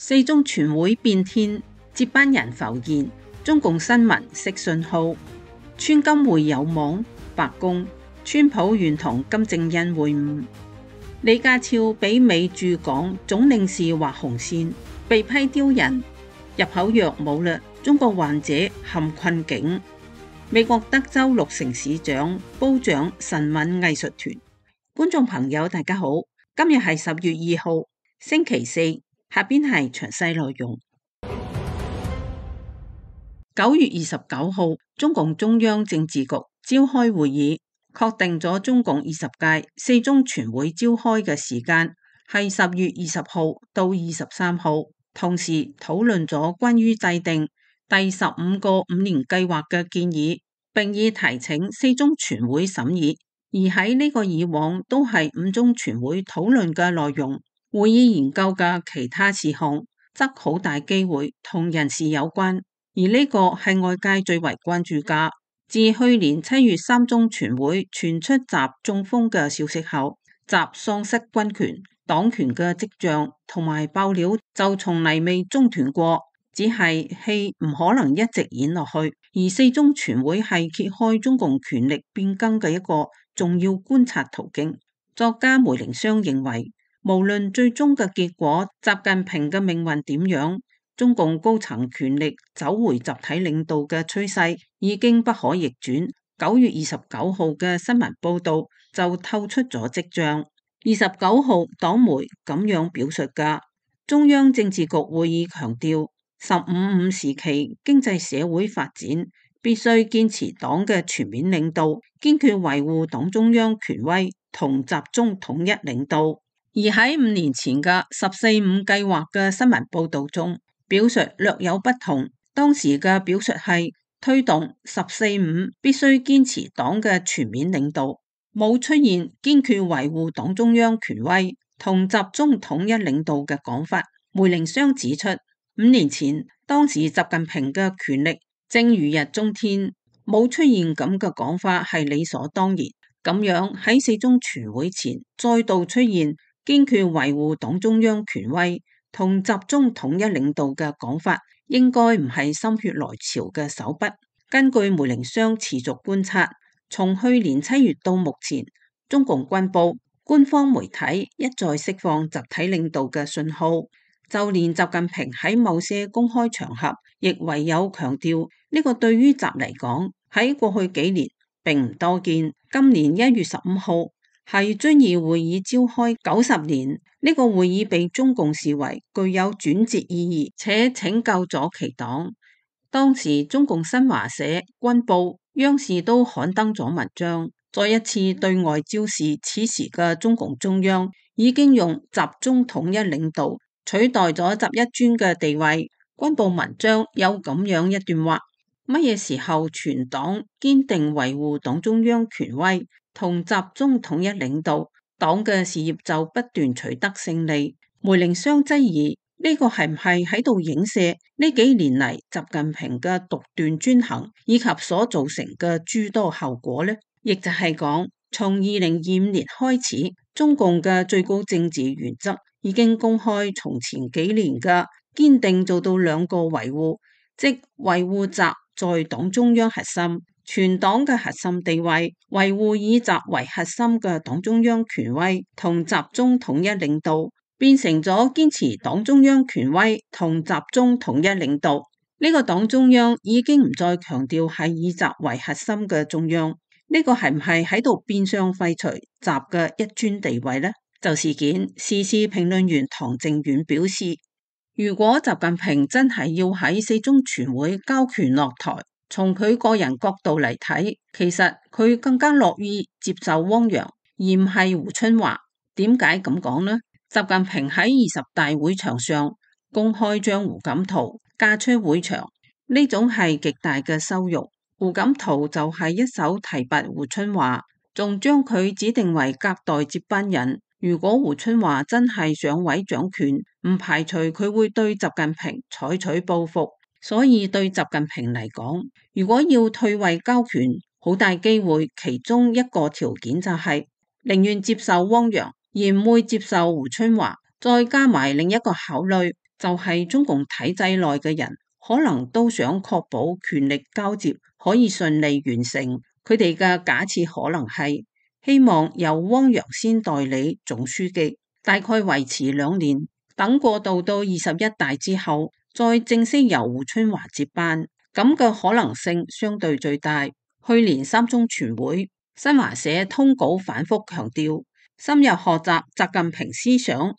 四中全會變天，接班人浮現，中共新聞釋信號。川金會有網，白宮，川普願同金正恩會晤。李家超俾美駐港總領事畫紅線，被批丟人，入口藥冇啦，中國患者陷困境。美國德州6城市長褒獎神韻藝術團。觀眾朋友大家好，今日係10月2號星期四，下邊係詳細內容。9月29號，中共中央政治局召開會議，確定咗中共20屆四中全會召開嘅時間係10月20號到23號，同時討論咗關於制定第15個5年計劃嘅建議，並已提請四中全會審議。而喺呢個以往都係5中全會討論嘅內容，會議研究嘅其他事項則好大機會同人事有關，而呢個係外界最為關注嘅。自去年7月3中全會傳出習中風嘅消息後，習喪失軍權、黨權嘅跡象同埋爆料就從嚟未中斷過，只係戲唔可能一直演落去。而四中全會係揭開中共權力變更嘅一個重要觀察途徑。作家梅靈湘認為，無論最終嘅結果，習近平嘅命運點樣，中共高層權力走回集體領導嘅趨勢已經不可逆轉。9月29號嘅新聞報道就透出咗跡象。29號黨媒咁樣表述㗎，中央政治局會議強調15.5時期經濟社會發展必須堅持黨嘅全面領導，堅決維護黨中央權威同集中統一領導。而喺5年前嘅14.5計劃嘅新聞報道中，表述略有不同。當時嘅表述係推動14.5必須堅持黨嘅全面領導，冇出現堅決維護黨中央權威同集中統一領導嘅講法。梅靈湘指出，5年前當時習近平嘅權力正如日中天，冇出現咁嘅講法係理所當然。咁樣喺四中全會前再度出現堅決維護黨中央權威同集中統一領導嘅講法，應該唔係心血來潮嘅手筆。根據梅靈湘持續觀察，從去年7月到目前，中共軍部官方媒體一再釋放集體領導嘅信號，就連習近平喺某些公開場合亦唯有強調呢個對於習嚟講喺過去幾年並唔多見。今年1月15號係遵義會議召開90年，呢個會議被中共視為具有轉折意義且拯救咗其黨。當時中共新華社、軍報、央視都刊登咗文章，再一次對外昭示此時嘅中共中央已經用集中統一領導取代咗習一尊嘅地位。軍報文章有咁樣一段話：乜嘢時候全黨堅定維護黨中央權威同集中統一領導，黨嘅事業就不斷取得勝利。梅靈湘質疑呢個係唔係喺度影射呢幾年嚟習近平嘅獨斷專行以及所造成嘅諸多後果呢？亦就係講，從2025年開始，中共嘅最高政治原則已經公開從前幾年嘅堅定做到兩個維護，即維護習在黨中央核心、全黨嘅核心地位，維護以習為核心嘅黨中央權威同集中統一領導，變成咗堅持黨中央權威同集中統一領導。呢個黨中央已經唔再強調係以習為核心嘅中央，呢個係唔係喺度變相廢除習嘅一尊地位呢？就事件，時事評論員唐靖遠表示，如果習近平真係要喺四中全會交權落台，從佢個人角度嚟睇，其實佢更加樂意接受汪洋，而唔係胡春華。點解咁講呢？習近平喺20大會場上公開將胡錦濤嫁出會場，呢種係極大嘅羞辱。胡錦濤就係一手提拔胡春華，仲將佢指定為隔代接班人。如果胡春華真係上位掌權，唔排除佢會對習近平採取報復。所以對習近平嚟講，如果要退位交權，好大機會其中一個條件就係寧願接受汪洋，而唔會接受胡春華。再加埋另一個考慮，就係中共體制內嘅人可能都想確保權力交接可以順利完成。佢哋嘅假設可能係希望由汪洋先代理總書記，大概維持2年，等過渡到21大之後，再正式由胡春華接班。咁嘅可能性相對最大。去年3中全會，新華社通稿反覆強調，深入學習習近平思想，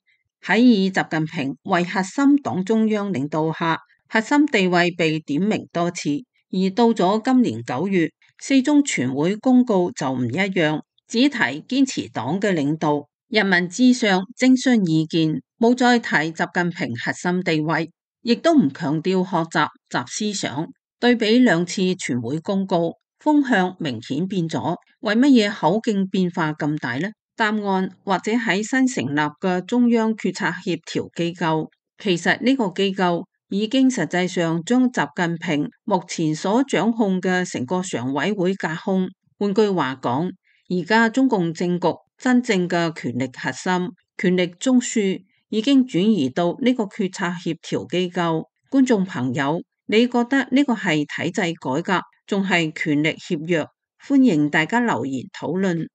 喺以習近平為核心黨中央領導下，核心地位被點名多次。而到咗今年9月，4中全會公告就唔一樣，只提堅持黨嘅領導，人民至上，徵詢意見，冇再提習近平核心地位，亦都唔強調學習習思想。對比2次全會公告，風向明顯變咗。為乜嘢口徑變化咁大呢？答案或者喺新成立嘅中央決策協調機構。其實呢個機構已經實際上將習近平目前所掌控嘅成個常委會架空。換句話講，而家中共政局真正嘅權力核心、權力中樞已經轉移到呢個決策協調機構。觀眾朋友，你覺得呢個係體制改革，仲係權力協約？歡迎大家留言討論。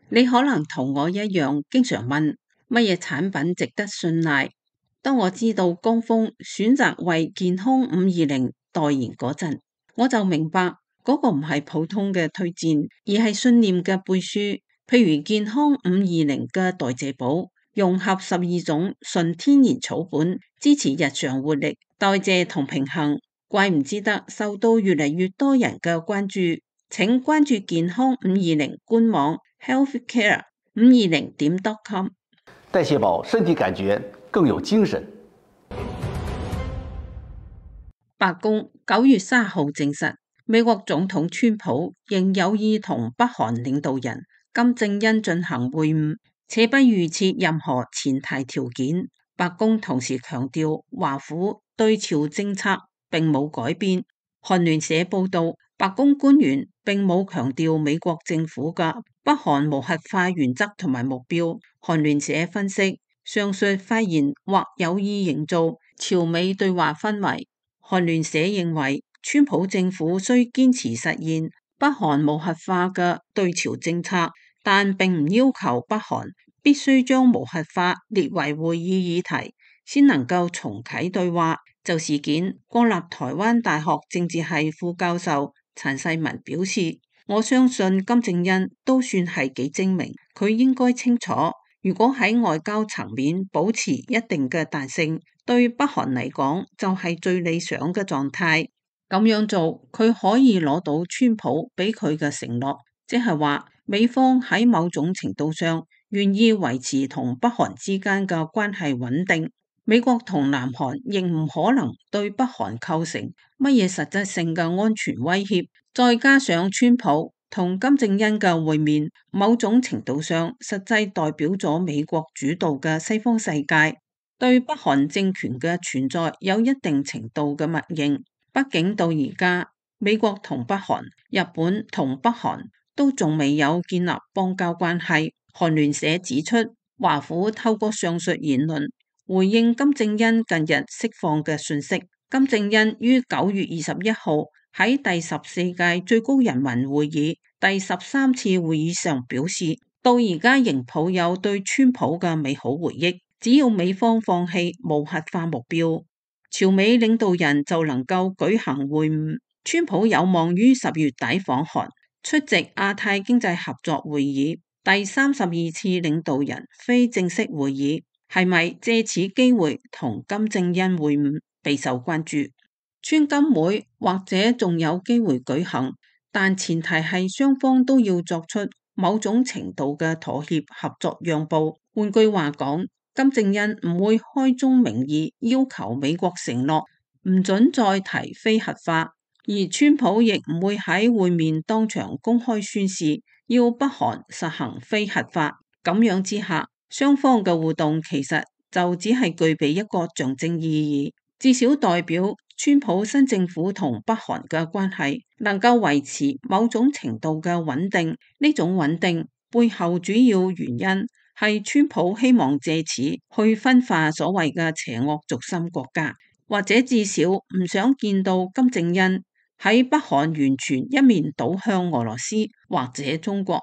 你可能同我一樣，經常問乜嘢產品值得信賴。當我知道江峰選擇為健康520代言嗰陣，我就明白嗰個唔係普通嘅推薦，而係信念嘅背書。譬如健康520嘅代謝寶，融合12種純天然草本，支持日常活力、代謝同平衡，怪唔之得受到越嚟越多人嘅關注。請關注健康520官網 healthcare520.com。代謝寶，身體感覺更有精神。白宮9月3號證實，美國總統川普仍有意同北韓領導人金正恩進行會晤，且不預設任何前提條件。白宮同時強調，華府對朝政策並冇改變。韓聯社報道，白宮官員並冇強調美國政府嘅北韓無核化原則同埋目標。韓聯社分析，上述發言或有意營造朝美對話氛圍。韓聯社認為，川普政府需堅持實現北韓無核化嘅對朝政策，但並唔要求北韓必須將無核化列為會議議題，先能夠重啟對話。就事件，國立台灣大學政治系副教授陳世文表示，我相信金正恩都算係幾精明，佢應該清楚，如果喺外交層面保持一定嘅彈性，對北韓嚟講就係最理想嘅狀態。咁樣做，佢可以攞到川普俾佢嘅承諾，即係話美方喺某種程度上願意維持同北韓之間嘅關係穩定。美國同南韓亦唔可能對北韓構成乜嘢實質性嘅安全威脅。再加上川普同金正恩嘅會面，某種程度上實際代表咗美國主導嘅西方世界對北韓政權嘅存在有一定程度嘅默認。畢竟到而家，美國同北韓、日本同北韓都仲未有建立邦交關係。韓聯社指出，華府透過上述言論回應金正恩近日釋放嘅訊息。金正恩於9月21號喺第14屆最高人民會議第13次會議上表示，到而家仍抱有對川普嘅美好回憶，只要美方放棄無核化目標，朝美領導人就能夠舉行會晤。川普有望於10月底訪韓，出席亞太經濟合作會議第32次領導人非正式會議。係咪借此機會同金正恩會晤備受關注？川金會或者仲有機會舉行，但前提係雙方都要作出某種程度嘅妥協、合作、讓步。換句話講，金正恩唔會開宗明義要求美國承諾唔准再提非核化，而川普亦唔會喺會面當場公開宣示要北韓實行非核化。咁樣之下，雙方嘅互動其實就只係具備一個象徵意義，至少代表川普新政府同北韓嘅關係能夠維持某種程度嘅穩定。呢種穩定背後主要原因係川普希望借此去分化所謂嘅邪惡軸心國家，或者至少唔想見到金正恩喺北韓完全一面倒向俄羅斯或者中共。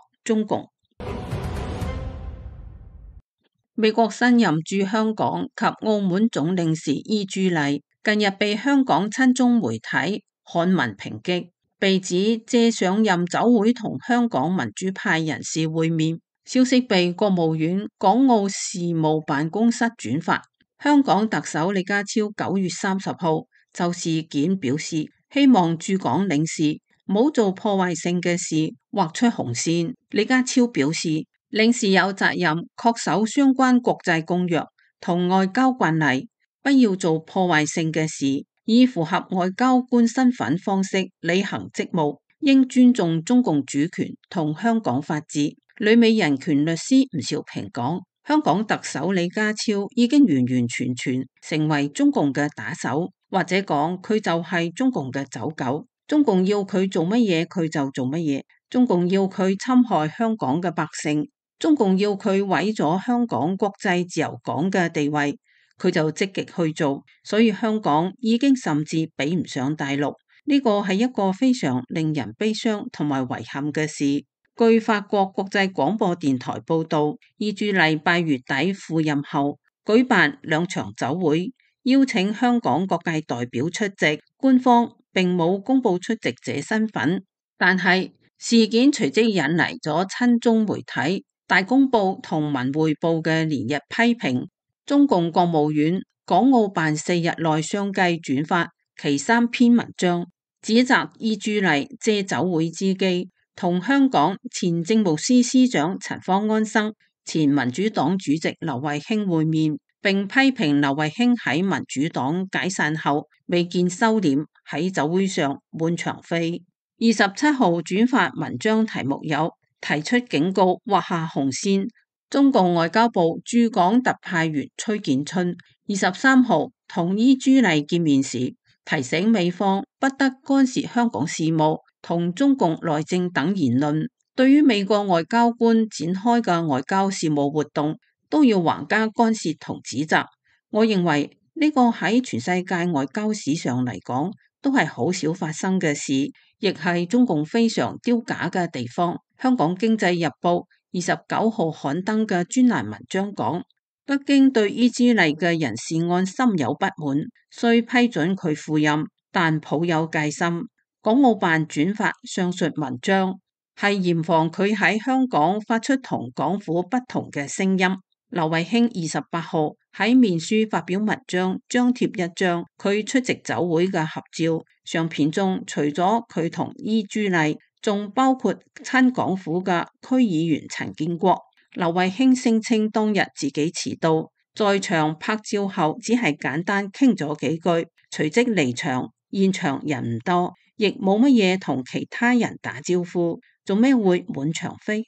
美國新任駐香港及澳門總領事伊朱麗近日被香港親中媒體刊文抨擊，被指借上任酒會同香港民主派人士會面。消息被國務院港澳事務辦公室轉發。香港特首李家超9月30號就事件表示，希望駐港領事唔好做破壞性嘅事，劃出紅線。李家超表示，領事有責任恪守相關國際公約同外交慣例，不要做破壞性嘅事，以符合外交官身份方式履行職務，應尊重中共主權同香港法治。旅美人權律師吳兆平講，香港特首李家超已經完完全全成為中共嘅打手，或者講佢就係中共嘅走狗。中共要佢做乜嘢佢就做乜嘢，中共要佢侵害香港嘅百姓，中共要佢毀咗香港國際自由港嘅地位，佢就積極去做。所以香港已經甚至比唔上大陸，呢個係一個非常令人悲傷同埋遺憾嘅事。據法國國際廣播電台報道，伊朱麗8月底赴任後舉辦2場酒會，邀請香港各界代表出席，官方並冇公布出席者身份。但係事件隨即引嚟咗親中媒體大公報同文匯報嘅連日批評，中共國務院港澳辦4日內相繼轉發其3篇文章，指責伊朱麗借酒會之機同香港前政務司司長陳方安生、前民主黨主席劉慧卿會面，並批評劉慧卿喺民主黨解散後未見收斂，喺酒會上滿場飛。27號轉發文章題目有提出警告，劃下紅線。中共外交部駐港特派員崔建春23號同伊朱麗見面時，提醒美方不得干涉香港事務同中共內政等言論，對於美國外交官展開嘅外交事務活動，都要橫加干涉同指責。我認為呢個喺全世界外交史上嚟講，都係好少發生嘅事，亦係中共非常丟架嘅地方。香港經濟日報29號刊登嘅專欄文章講，北京對伊朱麗嘅人事案深有不滿，雖批准佢赴任，但抱有戒心。港澳辦轉發上述文章，係嚴防佢喺香港發出同港府不同嘅聲音。劉慧卿28號喺面書發表文章，張貼一張佢出席酒會嘅合照，相片中除咗佢同伊朱麗，仲包括親港府嘅區議員陳建國。劉慧卿聲稱當日自己遲到，在場拍照後只係簡單傾咗幾句，隨即離場，現場人唔多，亦冇乜嘢同其他人打招呼，做咩會滿場飛？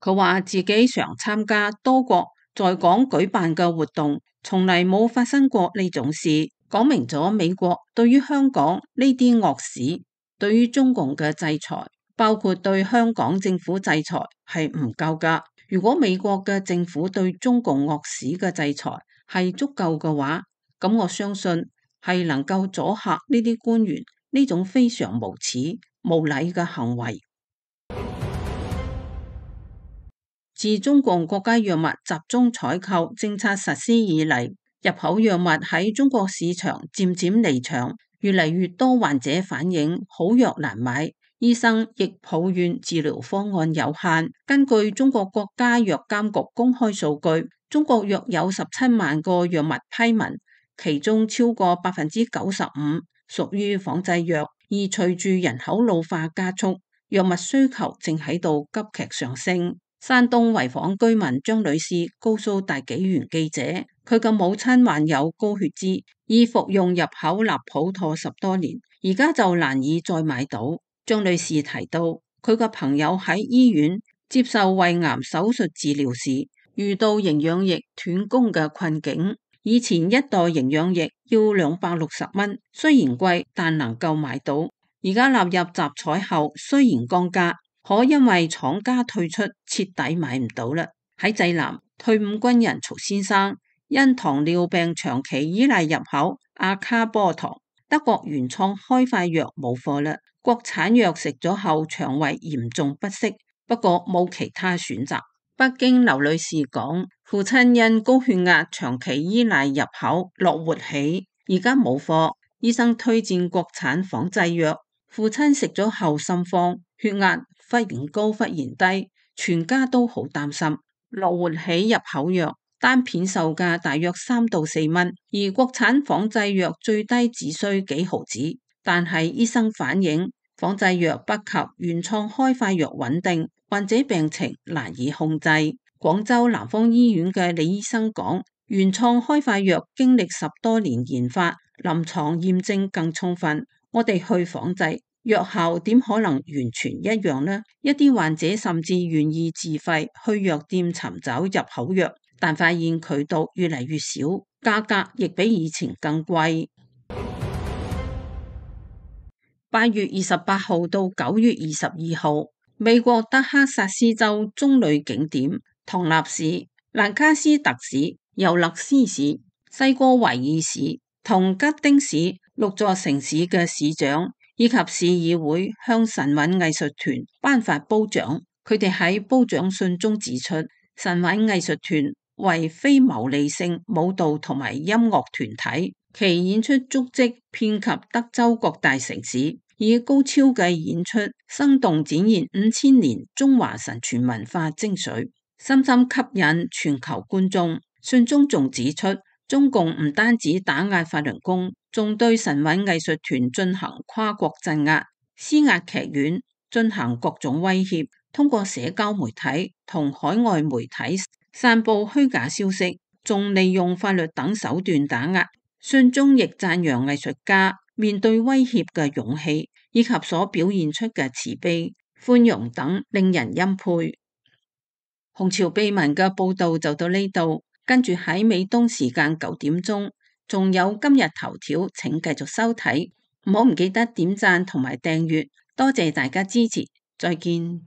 佢話自己常參加多國在港舉辦嘅活動，從嚟冇發生過呢種事，講明咗美國對於香港呢啲惡事，對於中共嘅制裁，包括對香港政府制裁係唔夠㗎。如果美國嘅政府對中共惡事嘅制裁係足夠嘅話，咁我相信係能夠阻嚇呢啲官員呢種非常無恥無禮嘅行為。自中共國家藥物集中採購政策實施以嚟，入口藥物喺中國市場漸漸離場，越嚟越多患者反映好藥難買，醫生亦抱怨治療方案有限。根據中國國家藥監局公開數據，中國約有17萬個藥物批文，其中超過95%屬於仿製藥，而隨住人口老化加速，藥物需求正喺度急劇上升。山東濰坊居民張女士告訴大紀元記者，佢嘅母親患有高血脂，已服用入口納普妥10多年，而家就難以再買到。張女士提到，佢個朋友喺醫院接受胃癌手術治療時，遇到營養液斷供嘅困境。以前一袋營養液要260蚊，雖然貴，但能夠買到。而家納入集採後，雖然降價，可因為廠家退出，徹底買唔到啦。喺濟南，退伍軍人曹先生因糖尿病長期依賴入口阿卡波糖，德國原創開發藥冇貨啦，國產藥食咗後腸胃嚴重不適，不過冇其他選擇。北京劉女士講，父親因高血壓長期依賴入口樂活喜，而家冇貨，醫生推薦國產仿製藥，父親食咗後心慌，血壓忽然高忽然低，全家都好擔心。樂活喜入口藥單片售價大約3到4蚊，而國產仿製藥最低只需幾毫子，但係醫生反映仿製藥不及原創開發藥穩定，患者病情難以控制。廣州南方醫院嘅李醫生講，原創開發藥經歷10多年研發，臨床驗證更充分，我哋去仿製，藥效點可能完全一樣呢？一啲患者甚至願意自費去藥店尋找入口藥，但發現渠道越嚟越少，價格亦比以前更貴。8月28號到9月22號，美國德克薩斯州棕櫚景點唐納市、蘭卡斯特市、尤勒斯市、西哥維爾市同吉丁市6座城市嘅市長以及市議會向神韻藝術團頒發褒獎。佢哋喺褒獎信中指出，神韻藝術團為非牟利性舞蹈同埋音樂團體，其演出足跡遍及德州各大城市，以高超嘅演出生動展現5000年中華神傳文化精髓，深深吸引全球觀眾。信中仲指出，中共唔單止打壓法輪功，仲對神韻藝術團進行跨國鎮壓，施壓劇院進行各種威脅，通過社交媒體同海外媒體散布虛假消息，仲利用法律等手段打壓。信中亦讚揚藝術家面對威脅嘅勇氣，以及所表現出嘅慈悲、寬容等，令人欽佩。紅潮秘聞嘅報道就到呢度，跟住喺美東時間9點鐘，仲有今日頭條，請繼續收睇，唔好唔記得點讚同埋訂閱，多謝大家支持，再見。